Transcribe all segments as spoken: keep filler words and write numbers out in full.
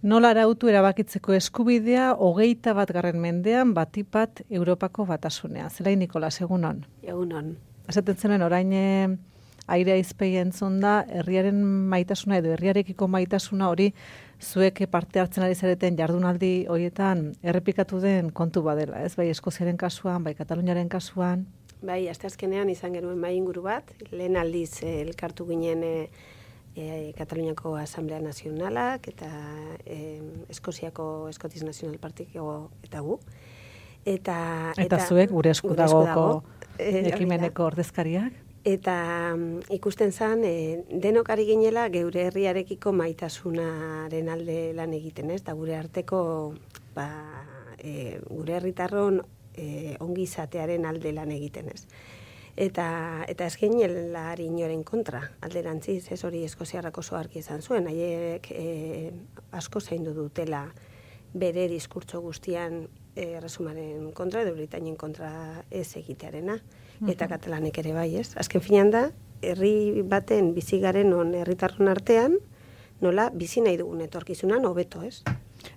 Nola arautu erabakitzeko eskubidea hogeita bat garren mendean batipat Europako batasunean. Zelain Nikolas, egunon? Egunon. Esaten zenuen orain airea izpei entzun da, herriaren maitasuna edo herriarekiko maitasuna hori zuek parte hartzen ari zareten jardunaldi horietan errepikatu den kontu badela, ez? Bai Eskoziaren kasuan, bai Kataluniaren kasuan. Bai, asteazkenean izan genuen mahai inguru bat, lehen aldiz eh, elkartu ginen eh, E, Kataluniako Asamblea Nazionalak eta e, Eskoziako Eskotiz Nazional Partiko eta gu. Eta, eta, eta zuek gure eskudagoko ekimeneko ordezkariak? Eta um, ikusten zen, e, denok ari ginela geure herriarekiko maitasunaren alde lan egiten, ez? Da gure arteko, ba, e, gure herritarron e, ongi izatearen alde lan egiten, ez? Eta, eta ez ginela inoren kontra, alderantziz, ez hori eskoziarrak oso argi izan zuen, haiek e, asko zaindu dutela bere diskurtso guztian e, erresumaren kontra, edo Britainien kontra ez egitearena, eta uh-huh. Katalanek ere bai, ez? Azken finean da, herri baten bizigaren on herritarron artean, nola bizi nahi dugun etorkizunan hobeto, ez?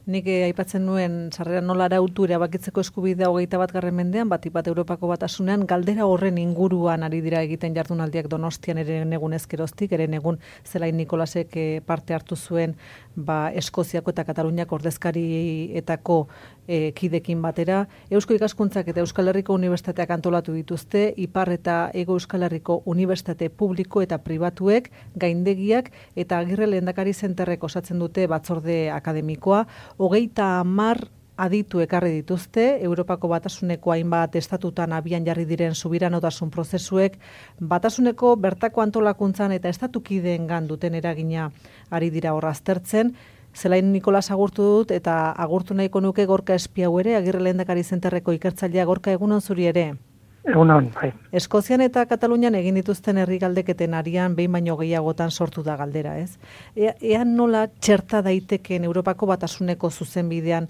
Nik eh, aipatzen nuen sarrera nola arautu erabakitzeko eskubidea hogeita bat garren mendean, batipat Europako batasunean, galdera horren inguruan ari dira egiten jardunaldiak Donostian ere egun ezkeroztik, ere egun Zelain Nikolasek eh, parte hartu zuen ba, Eskoziako eta Kataluniako ordezkarietako eh, kidekin batera. Eusko Ikaskuntzak eta Euskal Herriko Unibertsitateak antolatu dituzte, Ipar eta Hego Euskal Herriko Unibertsitate publiko eta pribatuek, gaindegiak eta Agirre Lehendakari Zenterrek osatzen dute batzorde akademikoa. Hogeita hamar aditu ekarri dituzte, Europako batasuneko hainbat estatutan abian jarri diren subiranotasun prozesuek, batasuneko bertako antolakuntzan eta estatukideengan duten eragina ari dira hor aztertzen. Zelain Nikolas agurtu dut eta agurtu nahiko nuke Gorka Espiau ere, Agirre Lehendakari Zenterreko ikertzailea. Gorka, egunon zuri ere? Egunon, bai. Eskozian eta Katalunian egin dituzten herri galdeketen arian behin baino gehiagotan sortu da galdera, ez? Ea, ea nola txerta daiteken Europako batasuneko zuzenbidean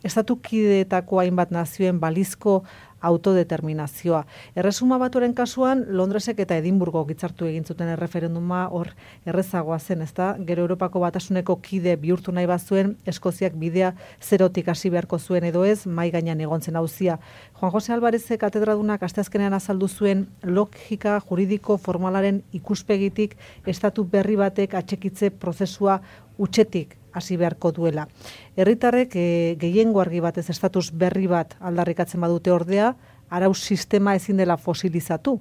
estatukideetako hainbat nazioen balizko autodeterminazioa. Erresuma Batuaren kasuan, Londresek eta Edinburgo hitzartu egin zuten erreferenduma hor errezagoa zen, ezta? Gero Europako batasuneko kide bihurtu nahi bazuen, Eskoziak bidea zerotik hasi beharko zuen edo ez, mai gainean egontzen auzia. Juan Jose Alvarezek katedradunak asteazkenean azaldu zuen logika juridiko formalaren ikuspegitik estatu berri batek atxekitze prozesua utxetik hasi beharko duela. Herritarrek e, gehiengo argi batez estatus berri bat aldarrikatzen badute ordea, arau sistema ezin dela fosilizatu,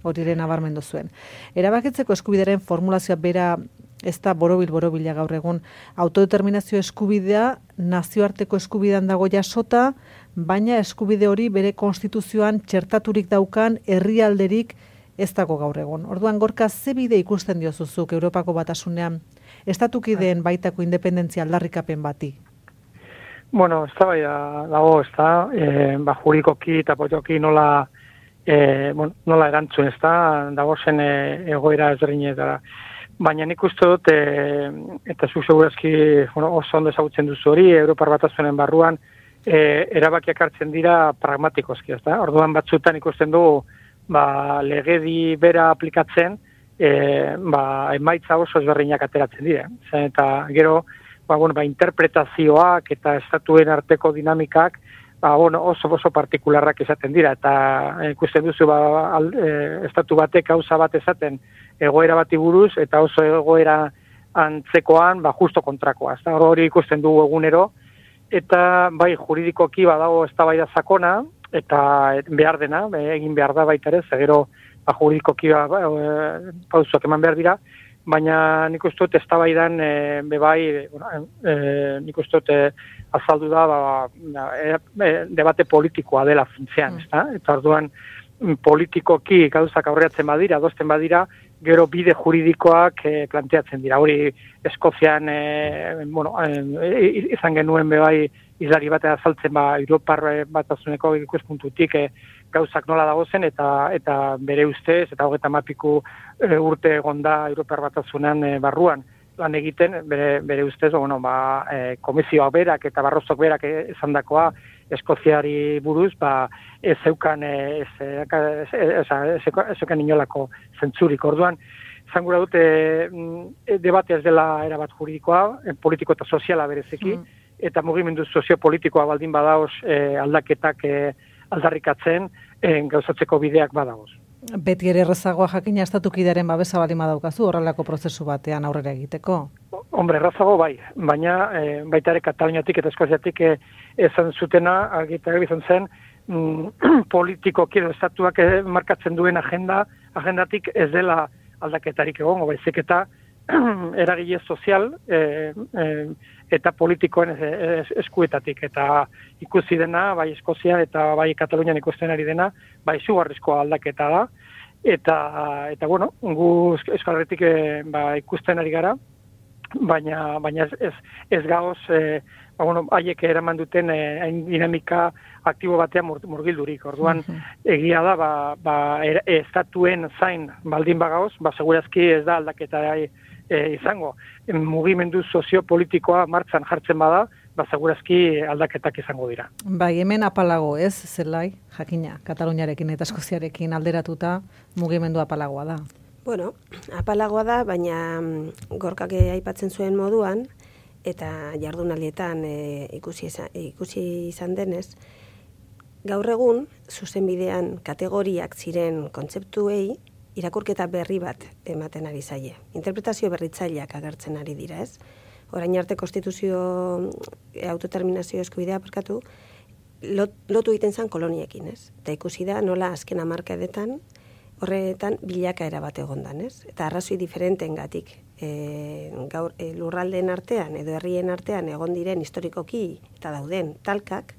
hori ere nabarmendu zuen. Erabakitzeko eskubideren formulazioa bera ez da borobil-borobila gaur egun. Autodeterminazio eskubidea nazioarteko eskubidean dago jasota, baina eskubide hori bere konstituzioan txertaturik daukan herrialderik ez dago gaur egun. Orduan, Gorka, ze bide ikusten diozuzuk Europako batasunean estatukideen baitako independentzia aldarrikapen bati? Bueno, ez da bai dago, ez da, e, ba, jurikoki eta potioki nola, e, bueno, nola erantzun, ez da, dago zen e, egoera ezberdinetara. Baina nik uste dut, e, eta zu segurazki bueno, oso ondo ezagutzen duzu hori, Europar batasunen barruan, e, erabakiak hartzen dira pragmatikoski, ez da. Orduan batzutan ikusten dugu, ba, legedi bera aplikatzen, e, ba, emaitza oso ezberdinak ateratzen dira. Zen, eta gero, ba, bueno, ba, interpretazioak eta estatuen arteko dinamikak ba, bueno, oso oso partikularrak esaten dira. Eta ikusten duzu, ba, al, e, estatu batek gauza bat esaten egoera bati buruz, eta oso egoera antzekoan, ba, justo kontrakoa. Ez da, hori ikusten dugu egunero, eta bai juridikoki badago eztabaida sakona, eta behar dena, egin behar da baita ere, zegero ba, juridikoki ba, e, pausoak eman behar dira, baina nik uste dut eztabaidan e, bebai, e, nik uste dut e, azaldu da ba, e, e, debate politikoa dela funtzean, mm. ez eta orduan politikoki gauzak aurreatzen badira, adosten badira, gero bide juridikoak e, planteatzen dira. Hori Eskozian e, bueno, e, izan genuen bebai izlari bat azaltzen ba, Europar batasuneko ikuspuntutik e, gauzak nola dagozen eta eta bere ustez, eta hogeita mapiku e, urte egonda Europar batasunan e, barruan lan egiten, bere, bere ustez, bueno, ba, e, komisioak berak eta barrozok berak esandakoa Eskoziari buruz, ba, ez zeukan ez, ez, ez, ez, ez, ez inolako zentzurik. Orduan, zan gura dute e, debate ez dela erabat juridikoa, e, politiko eta soziala berezeki, mm. eta mugimendu soziopolitikoa baldin badaoz e, aldaketak e, aldarrikatzen e, gauzatzeko bideak badaoz. Beti ere errazagoa jakina estatukidearen babesa baldin badaukazu horrelako prozesu batean aurrera egiteko. Hombre, errazago bai, baina e, baita ere Kataluniatik eta Eskoziatik e, esan zutena, argitarri izan zen, mm, politikoki edo estatuak e, markatzen duen agenda, agendatik ez dela aldaketarik egongo, baizik eta eragile sozial e, e, eta politikoen eskuetatik, eta ikusi dena, bai Eskozia eta bai Katalunian ikusten ari dena, bai izugarrizko aldaketa da, eta, eta bueno, gu Euskal Herritik e, ba, ikusten ari gara, baina, baina ez, ez, ez gaoz, e, ba, bueno, haiek eraman duten e, dinamika aktibo batean mur, murgildurik. Orduan, egia da, ba, ba, er, estatuen zain baldin bagaoz, ba, segurazki ez da aldaketa e, izango. Mugimendu soziopolitikoa martzan jartzen bada, ba, segurazki aldaketak izango dira. Bai, hemen apalago ez, zelai, jakina, Kataluniarekin eta Eskoziarekin alderatuta mugimendu apalagoa da. Bueno, apalagoa da, baina Gorkak aipatzen zuen moduan, eta jardunaldietan e, ikusi, izan, ikusi izan denez, gaur egun, zuzenbidean kategoriak ziren kontzeptuei, irakurketa berri bat ematen ari zaie. Interpretazio berritzaileak agertzen ari dira, ez? Orain arte konstituzio autodeterminazio eskubidea parkatu, lot, lotu egiten zen koloniekin, ez? Eta ikusi da nola azken hamarkadetan horretan bilakaera bat egondan, ez? Eta arrazoi diferenteengatik e, gaur e, lurraldeen artean edo herrien artean egon diren historikoki eta dauden talkak,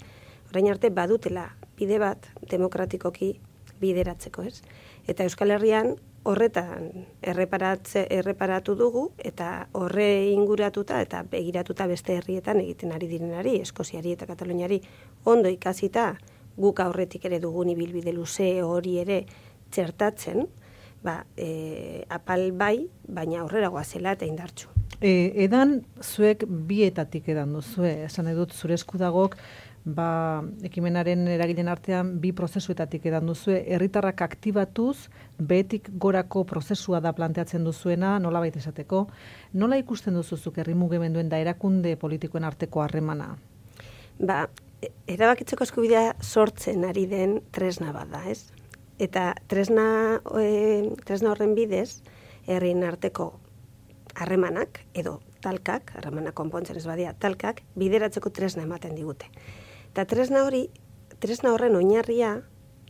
orain arte badutela bide bat demokratikoki bideratzeko, ez? Eta Euskal Herrian horretan erreparatze, erreparatu dugu eta horre inguratuta eta begiratuta beste herrietan egiten ari direnari, Eskoziari eta Kataluniari ondo ikasita guk aurretik ere dugun ibilbide luze hori ere txertatzen, ba, e, apal bai, baina aurrera goazela eta indartsu. E, edan zuek bietatik edan duzue, esan edut zure eskudagok, ba, ekimenaren eragilen artean bi prozesuetatik edan duzue, herritarrak aktibatuz, behetik gorako prozesua da planteatzen duzuena, nola baita esateko, nola ikusten duzuzuk herri mugimenduen da erakunde politikoen arteko harremana? Ba, erabakitzeko eskubidea sortzen ari den tresna bat da, ez? Eta tresna, e, tresna horren bidez, herrien arteko harremanak, edo talkak, harremanak konpontzen ez badia, talkak, bideratzeko tresna ematen digute. Eta tresna hori, tresna horren oinarria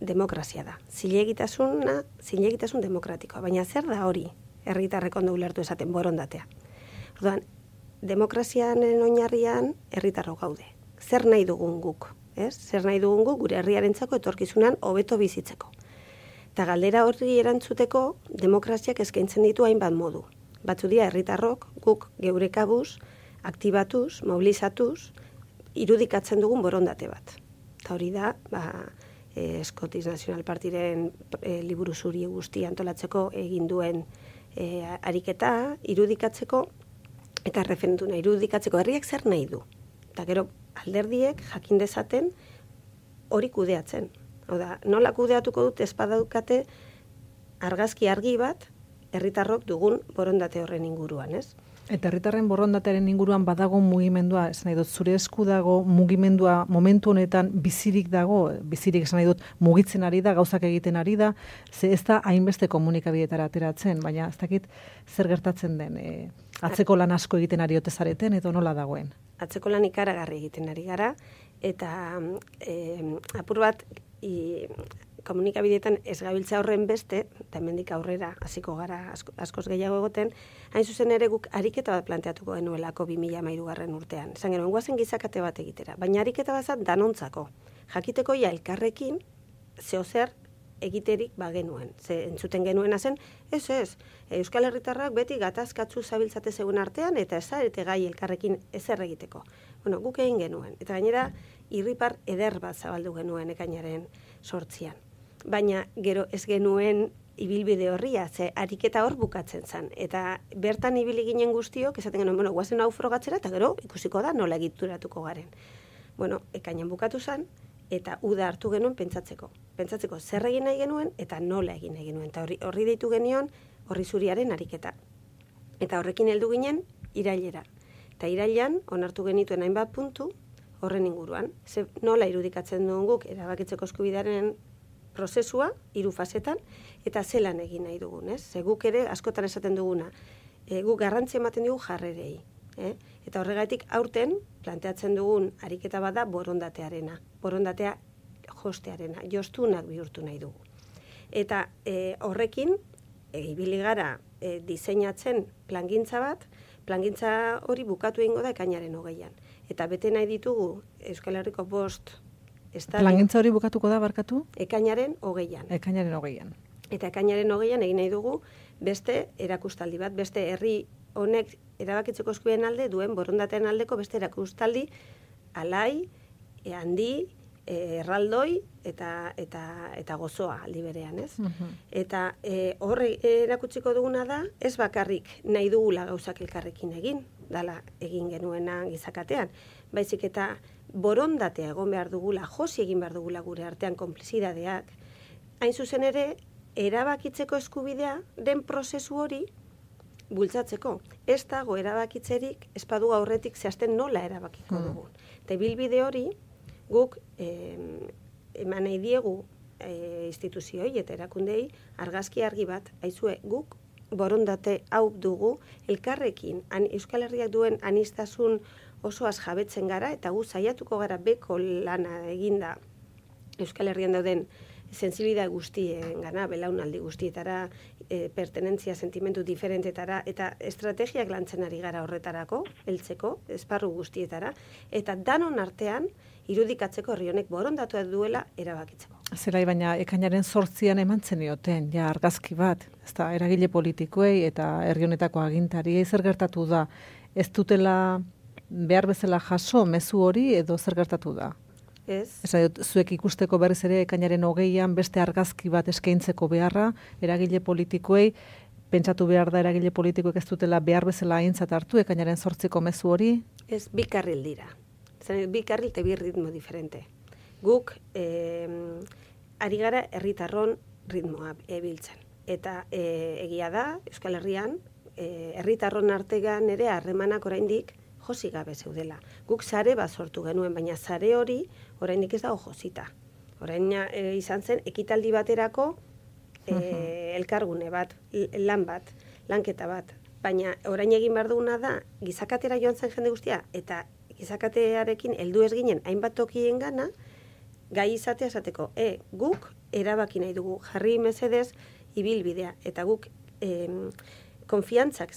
demokrazia da. Zilegitasuna, zilegitasun demokratikoa. Baina zer da hori herritarrek ondo ulertu esaten borondatea? Orduan, demokrazianen oinarrian herritarro gaude. Zer nahi dugun guk? Ez? Zer nahi dugun guk gure herriarentzako etorkizunan hobeto bizitzeko. Eta galdera horri erantzuteko demokraziak eskaintzen ditu hainbat modu. Batzu dira herritarrok guk geure kabuz, aktibatuz, mobilizatuz, irudikatzen dugun borondate bat. Eta hori da, ba, e, Scottish National Partiren e, liburu zuri guztia antolatzeko egin duen e, ariketa, irudikatzeko, eta referenduna irudikatzeko herriak zer nahi du. Eta gero alderdiek jakin dezaten hori kudeatzen. Hau da, nola kudeatuko dut ez badaukate argazki argi bat herritarrok dugun borondate horren inguruan, ez? Eta herritarren borondatearen inguruan badago mugimendua, esan nahi dut, zure esku dago mugimendua momentu honetan bizirik dago, bizirik esan nahi dut mugitzen ari da, gauzak egiten ari da, ze ez da hainbeste komunikabideetara ateratzen, baina ez dakit zer gertatzen den, e, atzeko lan asko egiten ari ote zareten, edo nola dagoen? Atzeko lan ikaragarri egiten ari gara, eta e, apur bat, i, komunikabideetan ez gabiltza horren beste, eta hemendik aurrera hasiko gara asko, askoz gehiago egoten, hain zuzen ere guk ariketa bat planteatuko genuelako bi mila hamairugarren urtean. Esan genuen, guazen gizakate bat egitera, baina ariketa bazat danontzako. Jakiteko ja elkarrekin zeozer egiterik bagenuen. Ze entzuten genuena zen, ez ez, Euskal Herritarrak beti gatazkatzu zabiltzate zegoen artean, eta ez zarete gai elkarrekin ezer egiteko. Bueno, guk egin genuen, eta gainera irripar eder bat zabaldu genuen ekainaren sortzian. Baina gero ez genuen ibilbide horria, ze ariketa hor bukatzen zen. Eta bertan ibili ginen guztiok, esaten genuen, bueno, guazen hau frogatzera, eta gero ikusiko da nola egituratuko garen. Bueno, ekainan bukatu zen, eta uda hartu genuen pentsatzeko. Pentsatzeko zer egin nahi genuen, eta nola egin nahi genuen. Eta horri, horri deitu genion, horri zuriaren ariketa. Eta horrekin heldu ginen irailera. Eta irailan onartu genituen hainbat puntu horren inguruan. Ze nola irudikatzen duen guk erabakitzeko eskubidearen prozesua, hiru fasetan, eta zelan egin nahi dugun, ez? Ze guk ere askotan esaten duguna, e, guk garrantzi ematen dugu jarrerei. Eh? Eta horregatik aurten planteatzen dugun ariketa bada borondatearena. Borondatea jostearena, jostunak bihurtu nahi dugu. Eta e, horrekin, e, ibili gara e, diseinatzen plangintza bat, plangintza hori bukatu egingo da ekainaren hogeian. Eta bete nahi ditugu Euskal Herriko bost estadio. Plangintza hori bukatuko da, barkatu? Ekainaren hogeian. Ekainaren hogeian. Eta ekainaren hogeian egin nahi dugu beste erakustaldi bat, beste herri honek erabakitzeko eskubideen alde duen borondatean aldeko beste erakustaldi alai, e, handi, e, erraldoi eta eta eta gozoa aldi berean, ez? Uh-huh. Eta e, horre erakutsiko duguna da, ez bakarrik nahi dugula gauzak elkarrekin egin, dala egin genuena gizakatean, baizik eta borondatea egon behar dugula, josi egin behar dugula gure artean konplizidadeak, hain zuzen ere, erabakitzeko eskubidea den prozesu hori bultzatzeko. Ez dago erabakitzerik, espadu aurretik zehazten nola erabakiko hmm. dugun. Eta bilbide hori, guk eh, eman nahi diegu eh, instituzioi eta erakundei argazki argi bat, aizue guk borondate hau dugu, elkarrekin an, Euskal Herriak duen anistasun osoaz jabetzen gara, eta gu saiatuko gara beko lana eginda Euskal Herrian dauden sensibilidade guztien gana, belaunaldi guztietara, e, pertenentzia sentimentu diferentetara, eta estrategiak lantzen ari gara horretarako, heltzeko, esparru guztietara, eta danon artean, irudikatzeko herri honek borondatu duela erabakitzeko. Zelai, baina ekainaren zortzian eman zenioten, ja argazki bat, ezta eragile politikoei eta herri honetako agintariei zer gertatu da, ez dutela behar bezala jaso mezu hori edo zer gertatu da? Ez. Ez, zuek ikusteko berriz ere ekainaren hogeian beste argazki bat eskaintzeko beharra, eragile politikoei, pentsatu behar da eragile politikoek ez dutela behar bezala aintzat hartu ekainaren zortziko mezu hori? Ez, bi karril dira. Zene, bi karril eta bi ritmo diferente. Guk, eh, ari gara herritarron ritmoa ebiltzen. Eta eh, egia da, Euskal Herrian, eh, herritarron artean ere harremanak oraindik josi gabe zeudela. Guk sare bat sortu genuen, baina sare hori oraindik ez dago josita. Orain e, izan zen ekitaldi baterako e, elkargune bat, lan bat, lanketa bat. Baina orain egin behar duguna da, gizakatera joan zen jende guztia, eta gizakatearekin heldu ez ginen hainbat tokien gana, gai izatea esateko, e, guk erabaki nahi dugu, jarri mesedez ibilbidea, eta guk e, konfiantzak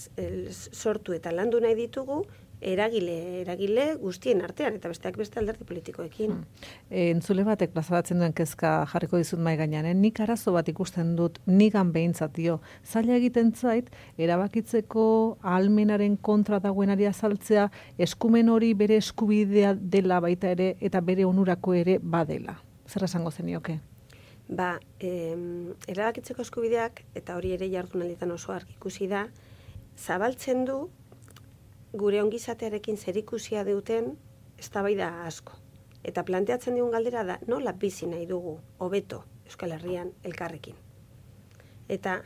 sortu eta landu nahi ditugu, eragile, eragile guztien artean, eta besteak beste alderdi politikoekin. Hmm. E, entzule batek plazaratzen duen kezka jarriko dizut mai gainean, eh? Nik arazo bat ikusten dut, nigan behintzat dio. Zaila egiten zait, erabakitzeko ahalmenaren kontra dagoenari azaltzea, eskumen hori bere eskubidea dela baita ere, eta bere onurako ere badela. Zer esango zenioke? Ba, eh, erabakitzeko eskubideak, eta hori ere jardunalditan oso argi ikusi da, zabaltzen du gure ongizatearekin zerikusia duten eztabaida asko. Eta planteatzen digun galdera da, nola bizi nahi dugu hobeto Euskal Herrian elkarrekin. Eta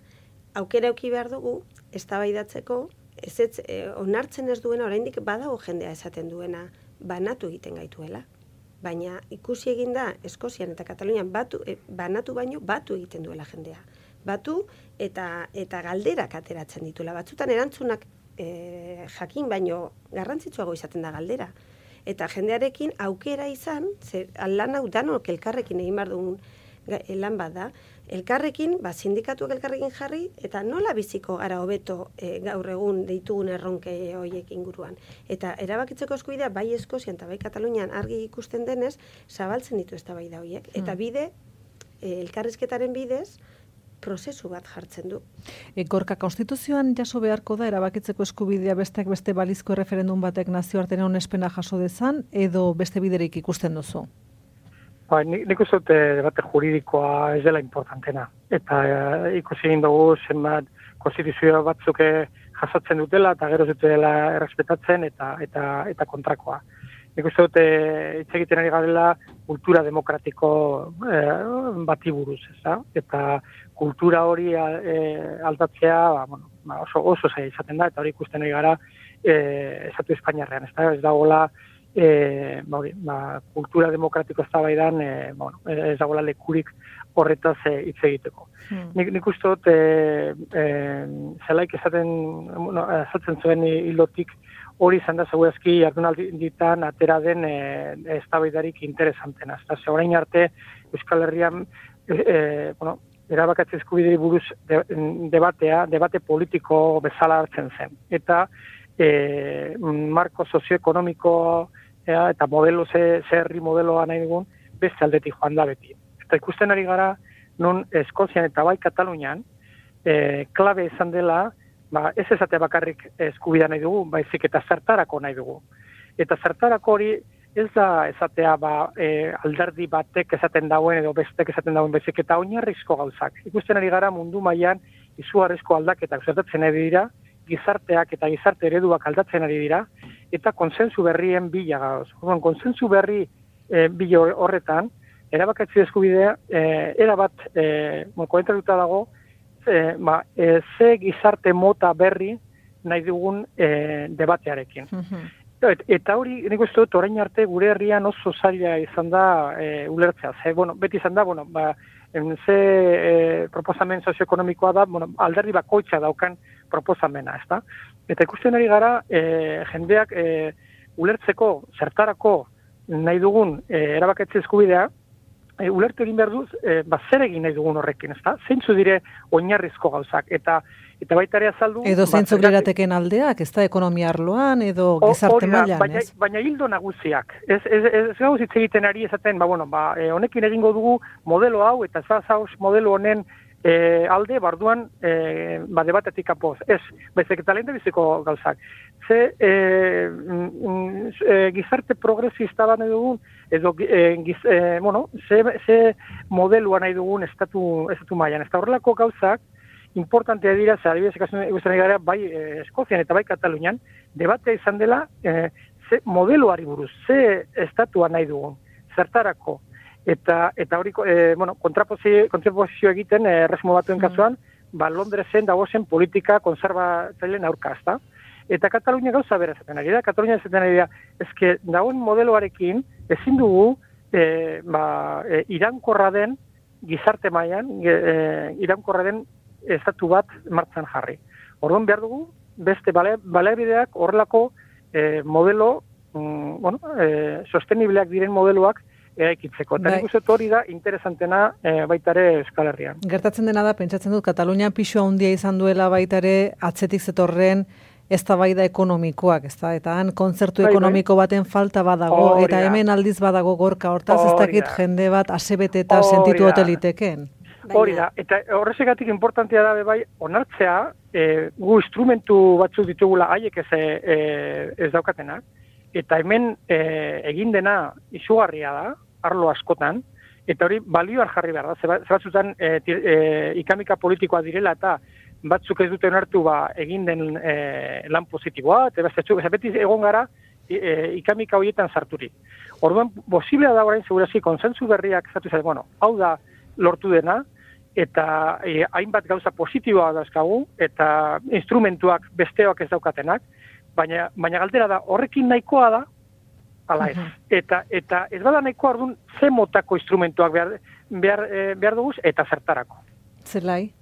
aukera eduki behar dugu eztabaidatzeko, ez ez, eh, onartzen ez duena oraindik badago jendea esaten duena banatu egiten gaituela. Baina ikusi egin da Eskozian eta Katalunian batu, eh, banatu baino batu egiten duela jendea. Batu eta eta galderak ateratzen dituela. Batzutan erantzunak E, jakin baino garrantzitsuago izaten da galdera. Eta jendearekin aukera izan, ze lan hau danok elkarrekin egin behar dugun lan bat da, elkarrekin, ba, sindikatuak elkarrekin jarri, eta nola biziko gara hobeto e, gaur egun ditugun erronke horiek inguruan. Eta erabakitzeko eskubidea bai Eskozian eta bai Katalunian argi ikusten denez, zabaltzen ditu eztabaida horiek. Eta bide, e, elkarrizketaren bidez, prozesu bat jartzen du. E, Gorka, konstituzioan jaso beharko da erabakitzeko eskubidea besteak beste balizko referendum batek nazioartean onespena jaso dezan, edo beste biderik ikusten duzu? Ba, nik, nik uste dute debate juridikoa ez dela importantena. Eta e, ikusi egin dugu zenbat konstituzio batzuk jasotzen dutela eta gero dutela errespetatzen eta eta eta kontrakoa. nik uste dut hitz egiten ari garela kultura demokratiko e, bati buruz, ez da? Eta kultura hori e, aldatzea ba, bueno, ba, oso, oso zaila izaten da, eta hori ikusten ari gara e, Estatu Espainiarrean, ez da? Ez dagoela e, ba, hori, ba, kultura demokratiko eztabaidan e, bueno, ez dagoela lekurik horretaz hitz e, egiteko. Hmm. Nik, nik uste dut e, e, zelaik esaten, bueno, esatzen zuen hilotik hori izan da segurazki jardunalditan atera den eztabaidarik e, interesantena. Eta ze orain arte Euskal Herrian e, e, bueno, erabakatze eskubideri buruz de, debatea, debate politiko bezala hartzen zen. Eta e, marko sozioekonomiko e, eta modelo ze, ze herri modeloa nahi dugun beste aldetik joan da beti. Eta ikusten ari gara non Eskozian eta bai Katalunian e, klabe izan dela ba, ez esatea bakarrik eskubida nahi dugu, baizik eta zertarako nahi dugu. Eta zertarako hori ez da esatea ba, e, alderdi batek esaten dauen edo bestek esaten dauen, baizik eta oinarrizko gauzak. Ikusten ari gara mundu mailan izugarrizko aldaketak zertatzen ari dira, gizarteak eta gizarte ereduak aldatzen ari dira, eta konsensu berrien bila gauz. Konsensu berri e, bila horretan, erabakatze eskubidea, e, erabat e, koentratuta dago, E, ba, e, ze gizarte mota berri nahi dugun e, debatearekin. Mm-hmm. Et, eta hori, nik uste dut, orain arte gure herrian oso zaila izan da e, ulertzea. Ze, bueno, beti izan da, bueno, ba, en, ze e, proposamen sozioekonomikoa da, bueno, alderdi bakoitza daukan proposamena, ez da? Eta ikusten ari gara, e, jendeak e, ulertzeko, zertarako nahi dugun e, erabakatze eskubidea, E, ulertu egin behar duz, e, ba, zer egin nahi dugun horrekin, ez da? Zeintzu dire oinarrizko gauzak, eta eta baita ere azaldu... Edo zeintzu lirateken aldeak, ez da, ekonomia arloan, edo gizarte mailan, baina, ez? Baina hildo nagusiak. Ez, ez, ez, ez gauz hitz egiten ari esaten, ba, bueno, ba, e, honekin egingo dugu modelo hau, eta ez zauz modelo honen e, alde, barduan, e, ba, debatetik apoz. Ez, baizik eta lehen biziko gauzak. Ze e, mm, e, gizarte progresista bat nahi dugun, edo e, giz, e, bueno, ze, ze modelua nahi dugun estatu, estatu mailan. Ez da horrelako gauzak, importantea dira, ze adibidez ikusten gara, bai e, Eskozian eta bai Katalunian, debatea izan dela e, ze modeluari buruz, ze estatua nahi dugun, zertarako. Eta, eta hori, e, bueno, kontrapozio, kontrapozio egiten, e, erresmo batuen kasuan, mm. ba, Londresen dagozen politika konserbatzaileen aurka, ezta? Eta Katalunia gauza bera zaten ari da, Katalunia zaten ari da, ezke dagoen modeloarekin ezin dugu e, ba, e, irankorra den gizarte mailan, e, irankorra den estatu bat martzan jarri. Orduan behar dugu, beste baliabideak horrelako e, modelo, mm, bueno, e, sostenibleak diren modeloak eraikitzeko. Eta nik uste hori da interesantena e, baitare Euskal Herrian. Gertatzen dena da, pentsatzen dut, Katalunian pisu handia izan duela baitare atzetik zetorren eztabaida ekonomikoak, ezta? Eta han kontzertu bai, ekonomiko baten falta badago, Orida. Eta hemen aldiz badago gorka hortaz, ez dakit jende bat asebete eta sentitu hoteliteken. Hori da, eta horrezegatik importantea da bai, onartzea, e, gu instrumentu batzuk ditugula haiek ez, e, ez daukatenak, eta hemen e, egin dena izugarria da, arlo askotan, eta hori balioar jarri behar da, zebatzutan e, e, ikamika politikoa direla eta batzuk ez duten hartu ba, egin den e, lan positiboa, eta beti egon gara e, ikamika horietan sarturik. Orduan, posiblea da orain segurazki konsensu berriak zatu zen, bueno, hau da lortu dena, eta e, hainbat gauza positiboa dauzkagu, eta instrumentuak besteoak ez daukatenak, baina, baina galdera da, horrekin nahikoa da, ala ez. Eta, eta ez bada nahikoa orduan, ze motako instrumentuak behar, behar, behar duguz, eta zertarako. Zelai?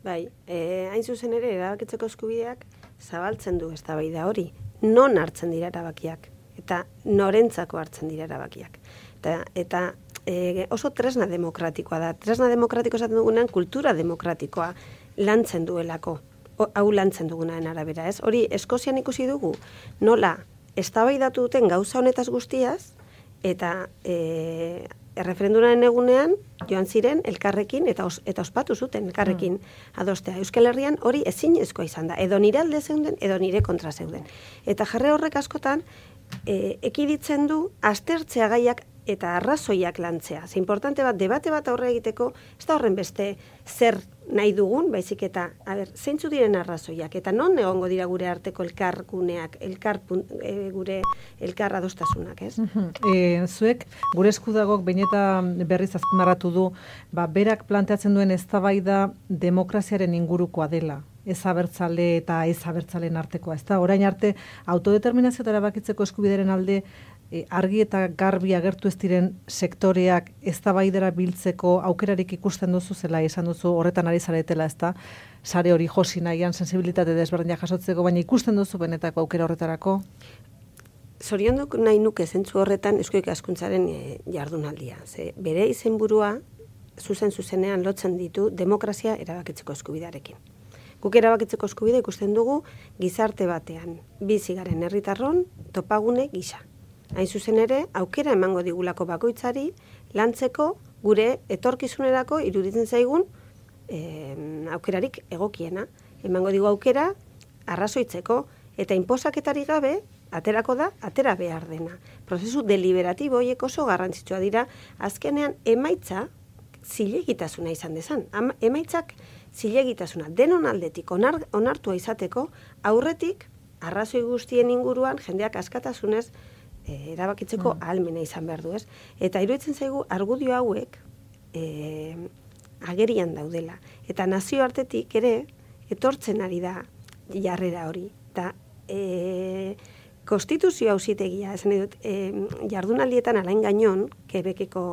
Bai, eh, hain zuzen ere, erabakitzeko eskubideak zabaltzen du eztabaida hori. Non hartzen dira erabakiak, eta norentzako hartzen dira erabakiak. Eta, eta e, oso tresna demokratikoa da. Tresna demokratiko esaten dugunean, kultura demokratikoa lantzen duelako. O, hau lantzen dugunaren arabera, ez? Hori, Eskozian ikusi dugu, nola, eztabaidatu duten gauza honetaz guztiaz, eta e, erreferendumaren egunean joan ziren elkarrekin eta os, eta ospatu zuten elkarrekin adostea. Euskal Herrian hori ezinezkoa izan da, edo nire alde zeuden, edo nire kontra zeuden. Eta jarre horrek askotan e, ekiditzen du aztertzea gaiak eta arrazoiak lantzea. Ze importante bat, debate bat aurre egiteko, ez da horren beste zer nahi dugun, baizik eta, a ber, zeintzu diren arrazoiak, eta non egongo dira gure arteko elkarguneak, elkar, e, gure elkar adostasunak, ez? E, zuek, gure eskudagok behin eta berriz azpimarratu du, ba, berak planteatzen duen eztabaida demokraziaren ingurukoa dela, ez abertzale eta ez abertzaleen artekoa, ez da? Orain arte, autodeterminazio eta erabakitzeko eskubideren alde, E, argi eta garbi agertu ez diren sektoreak eztabaidara biltzeko aukerarik ikusten duzu, zela esan duzu horretan ari zaretela, ez da, sare hori josi nahian sensibilitate desberdinak jasotzeko, baina ikusten duzu benetako aukera horretarako? Zoriondu nahi nuke zentzu horretan Eusko Ikaskuntzaren e, jardunaldia. Ze, bere izenburua zuzen zuzenean lotzen ditu demokrazia erabakitzeko eskubidearekin. Guk erabakitzeko eskubidea ikusten dugu gizarte batean, bizi garen herritarron topagune gisa. Hain zuzen ere, aukera emango digulako bakoitzari, lantzeko gure etorkizunerako iruditzen zaigun e, aukerarik egokiena. Emango digu aukera, arrazoitzeko, eta inposaketari gabe, aterako da, atera behar dena. Prozesu deliberatibo horiek oso garrantzitsua dira, azkenean emaitza zilegitasuna izan dezan. Emaitzak zilegitasuna, denon aldetik onar, onartua izateko, aurretik, arrazoi guztien inguruan, jendeak askatasunez, erabakitzeko mm. ahalmena izan behar du, ez? Eta iruditzen zaigu argudio hauek e, agerian daudela. Eta nazioartetik ere etortzen ari da jarrera hori. Eta e, konstituzio auzitegia, esan dut, e, jardunaldietan alain gainon, Quebeceko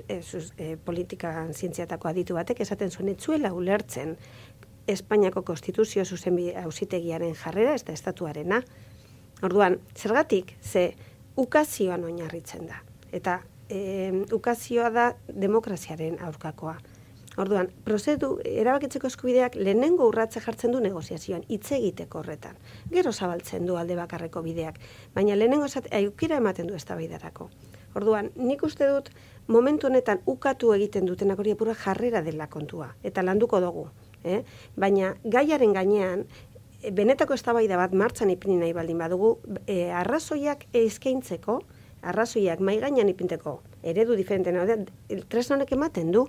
e, e, politika zientziatako aditu batek, esaten zuen etzuela ulertzen Espainiako konstituzio zuzenbide auzitegiaren jarrera, ez da estatuarena. Orduan, zergatik, ze ukazioan oinarritzen da. Eta e, ukazioa da demokraziaren aurkakoa. Orduan, prozedu erabakitzeko eskubideak lehenengo urratze jartzen du negoziazioan, hitz egiteko horretan. Gero zabaltzen du alde bakarreko bideak, baina lehenengo aukera ematen du eztabaidarako. Orduan, nik uste dut momentu honetan ukatu egiten dutenak hori apura jarrera dela kontua, eta landuko dugu. Eh? Baina gaiaren gainean, benetako eztabaida bat martxan ipini nahi baldin badugu, e, arrazoiak eskaintzeko, arrazoiak mai gainean ipinteko, eredu diferenten, tresna honek ematen du,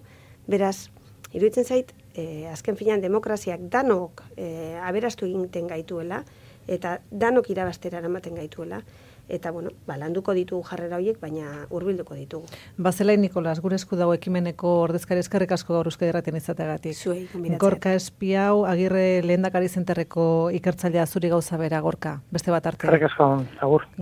beraz, iruditzen zait, e, azken finean demokraziak danok e, aberastu egiten gaituela, eta danok irabastera ematen gaituela, eta, bueno, balanduko ditugu jarrera horiek, baina hurbilduko ditugu. Bazelain Nikolas, gure esku dago ekimeneko ordezkari eskerrik asko gaur Euskadi Irratian izateagatik. Zuei, gonbidatzea. Gorka Espiau, Agirre Lehendakari Zenterreko ikertzailea zuri gauza bera, Gorka, beste bat arte. Eskerrik asko, agur.